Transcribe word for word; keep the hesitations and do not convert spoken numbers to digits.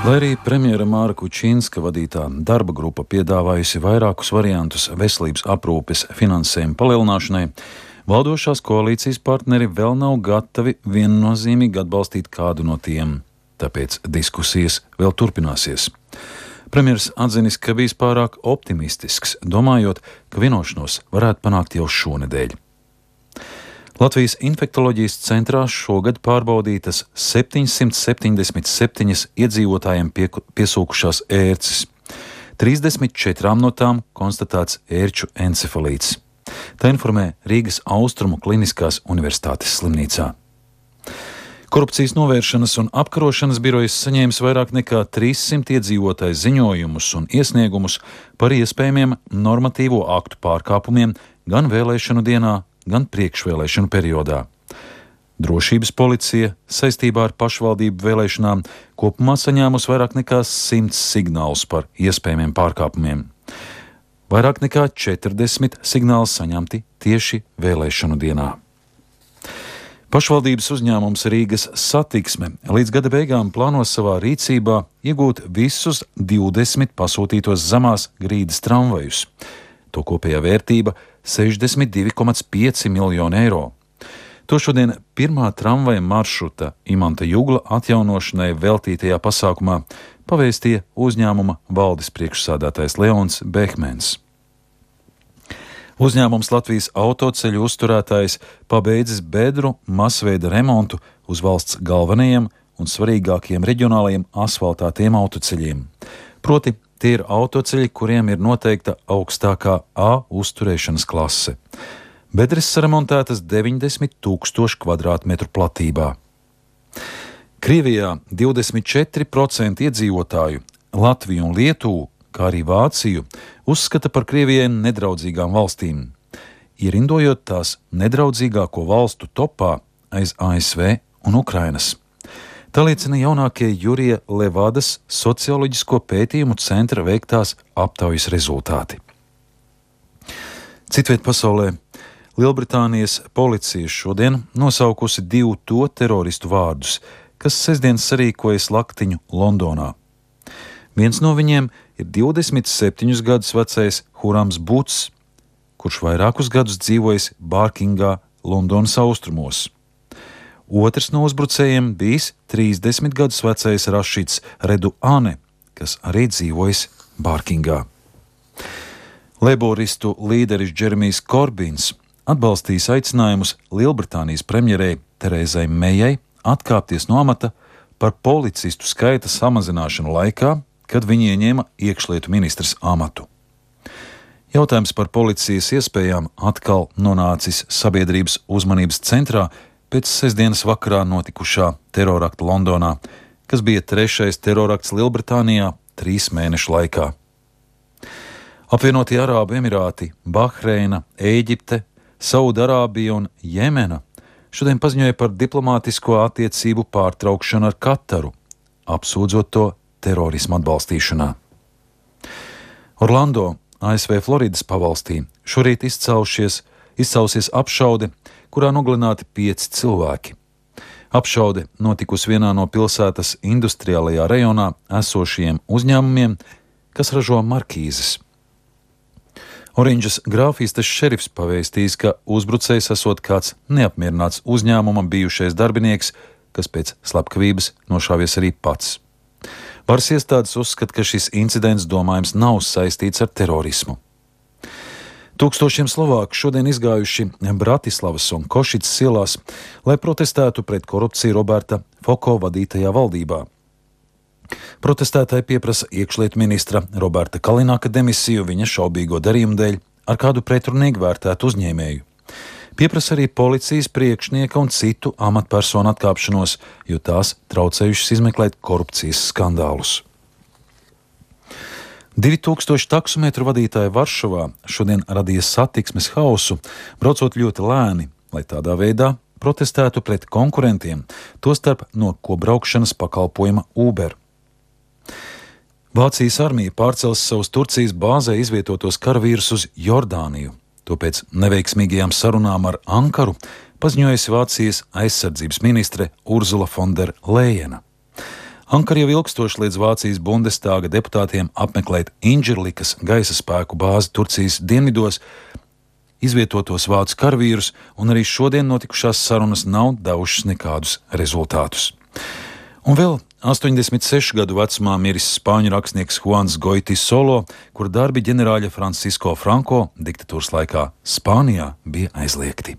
Lai arī premjera Māra Kučinska vadītā darba grupa piedāvājusi vairākus variantus veselības aprūpes finansējuma palielināšanai, valdošās koalīcijas partneri vēl nav gatavi viennozīmīgi atbalstīt kādu no tiem. Tāpēc diskusijas vēl turpināsies. Premjers atzinis, ka bijis pārāk optimistisks, domājot, ka vienošanos varētu panākt jau šonedēļ. Latvijas infektoloģijas centrā šogad pārbaudītas septiņsimt septiņdesmit septiņas iedzīvotājiem pie, piesūkušās ērces. trīsdesmit četrām no tām konstatēts ērču encefalīts. Tā informē Rīgas Austrumu Kliniskās universitātes slimnīcā. Korupcijas novēršanas un apkarošanas birojas saņēmis vairāk nekā trīssimt iedzīvotāju ziņojumus un iesniegumus par iespējamiem normatīvo aktu pārkāpumiem gan vēlēšanu dienā, gan priekšvēlēšanu periodā. Drošības policija saistībā ar pašvaldību vēlēšanām kopumā saņēmusi vairāk nekā simts signālus par iespējamiem pārkāpumiem. Vairāk nekā četrdesmit signāli saņemti tieši vēlēšanu dienā. Pašvaldības uzņēmums Rīgas Satiksme līdz gada beigām plāno savā rīcībā iegūt visus divdesmit pasūtītos zemās grīdas tramvajus. To kopējā vērtība sešdesmit divi komats pieci miljoni eiro. To šodien pirmā tramvaja maršruta Imanta Jugla atjaunošanai veltītajā pasākumā pavēstīja uzņēmuma valdes priekšsādātājs Leons Behmens. Uzņēmums Latvijas autoceļu uzturētājs pabeidzis bedru masveida remontu uz valsts galvenajiem un svarīgākiem reģionālajiem asfaltātiem autoceļiem. Proti, tie ir autoceļi, kuriem ir noteikta augstākā A uzturēšanas klase. Bedres saremontētas deviņdesmit tūkstoši kvadrātmetru platībā. Krievijā divdesmit četri procenti iedzīvotāju Latviju un Lietuvu, kā arī Vāciju, uzskata par Krievijai nedraudzīgām valstīm, ierindojot tās nedraudzīgāko valstu topā aiz A S V un Ukrainas. Tā liecina jaunākie Jurija Levadas socioloģisko pētījumu centra veiktās aptaujas rezultāti. Citviet pasaulē Lielbritānijas policija šodien nosaukusi divu to teroristu vārdus, kas sestdien sarīkojas laktiņu Londonā. Viens no viņiem ir divdesmit septiņus gadus vecais Hurams Buts, kurš vairākus gadus dzīvojis Bārkingā, Londonas austrumos. Otrs no uzbrucējiem bijis trīsdesmit gadus vecais Rašids Reduane, kas arī dzīvojis Bārkingā. Leiboristu līderis Džeremijs Korbins atbalstīs aicinājumus Lielbritānijas premjerei Terezai Mejai atkāpties no amata par policistu skaita samazināšanu laikā, kad viņi ieņēma iekšlietu ministras amatu. Jautājums par policijas iespējām atkal nonācis sabiedrības uzmanības centrā pēc sestdienas vakarā notikušā terorakta Londonā, kas bija trešais terorakts Lielbritānijā trīs mēnešu laikā. Apvienotie Arābu Emirāti, Bahreina, Ēģipte, Saudarābija un Jemena šodien paziņoja par diplomātisko attiecību pārtraukšanu ar Kataru, apsūdzot to terorismu atbalstīšanā. Orlando, A S V Floridas pavalstī, šorīt izcaušies, izcausies apšaude, kurā nogalināti pieci cilvēki. Apšaude notikusi vienā no pilsētas industriālajā rajonā esošajiem uzņēmumiem, kas ražo markīzes. Orinžas grāfistes šerifs pavēstījis, ka uzbrucējs esot kāds neapmierināts uzņēmuma bijušais darbinieks, kas pēc slepkavības nošāvies arī pats. Varas iestādes uzskata, ka šis incidents domājams nav saistīts ar terorismu. Tūkstošiem Slovāku šodien izgājuši Bratislavas un Košicas ielās, lai protestētu pret korupciju Roberta Foko vadītajā valdībā. Protestētāji pieprasa iekšlietu ministra Roberta Kalinaka demisiju viņa šaubīgo darījumu dēļ ar kādu pretrunīgi vērtētu uzņēmēju. Pieprasa arī policijas priekšnieka un citu amatpersonu atkāpšanos, jo tās traucējušas izmeklēt korupcijas skandālus. Divi tūkstoši taksometru vadītāji Varšavā šodien radīja satiksmes hausu, braucot ļoti lēni, lai tādā veidā protestētu pret konkurentiem, tostarp no kobraukšanas pakalpojuma Uber. Vācijas armija pārcels savus Turcijas bāzē izvietotos karavīrus uz Jordāniju. To pēc neveiksmīgajām sarunām ar Ankaru paziņojusi Vācijas aizsardzības ministre Urzula von der Leyena. Ankara jau ilgstoši liedz Vācijas Bundestāga deputātiem apmeklēt Inžirlikas gaisa spēku bāzi Turcijas dienvidos, izvietotos vācu karavīrus, un arī šodien notikušās sarunas nav devušas nekādus rezultātus. Un vēl astoņdesmit sešu gadu vecumā miris spāņu rakstnieks Juans Goiti Solo, kura darbi ģenerāļa Francisco Franco diktatūras laikā Spānijā bija aizliegti.